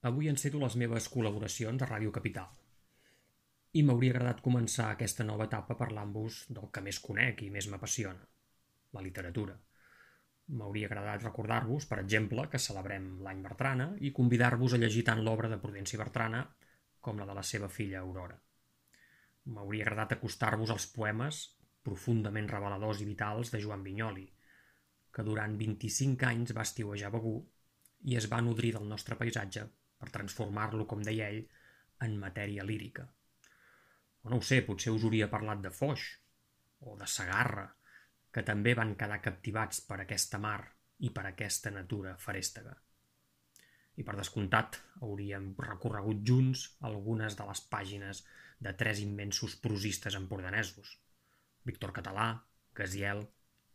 Avui enceto les meves col·laboracions a Ràdio Capital i m'hauria agradat començar aquesta nova etapa parlant-vos del que més conec i més m'apassiona, la literatura. M'hauria agradat recordar-vos, per exemple, que celebrem l'any Bertrana i convidar-vos a llegir tant l'obra de Prudenci Bertrana com la de la seva filla Aurora. M'hauria agradat acostar-vos als poemes profundament reveladors i vitals de Joan Vinyoli, que durant 25 anys va estiuejar Begur i es va nodrir del nostre paisatge per transformar-lo, com deia ell, en matèria lírica. O no ho sé, potser us hauria parlat de Foix o de Segarra, que també van quedar captivats per aquesta mar i per aquesta natura ferèstega. I per descomptat hauríem recorregut junts algunes de les pàgines de tres immensos prosistes empordanesos, Víctor Català, Gaziel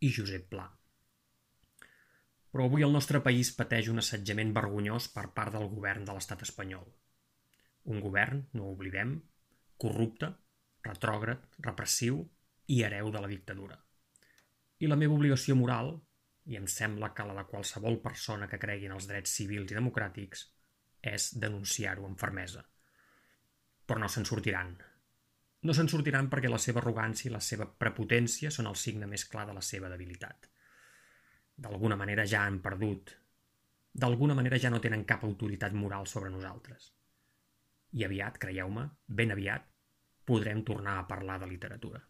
i Josep Pla. Però avui el nostre país pateix un assetjament vergonyós per part del govern de l'estat espanyol. Un govern, no ho oblidem, corrupte, retrògrad, repressiu i hereu de la dictadura. I la meva obligació moral, i em sembla que la de qualsevol persona que cregui en els drets civils i democràtics, és denunciar-ho amb fermesa. Però no se'n sortiran. No se'n sortiran perquè la seva arrogància i la seva prepotència són el signe més clar de la seva debilitat. D'alguna manera ja han perdut. D'alguna manera ja no tenen cap autoritat moral sobre nosaltres. I aviat, creieu-me, ben aviat, podrem tornar a parlar de literatura.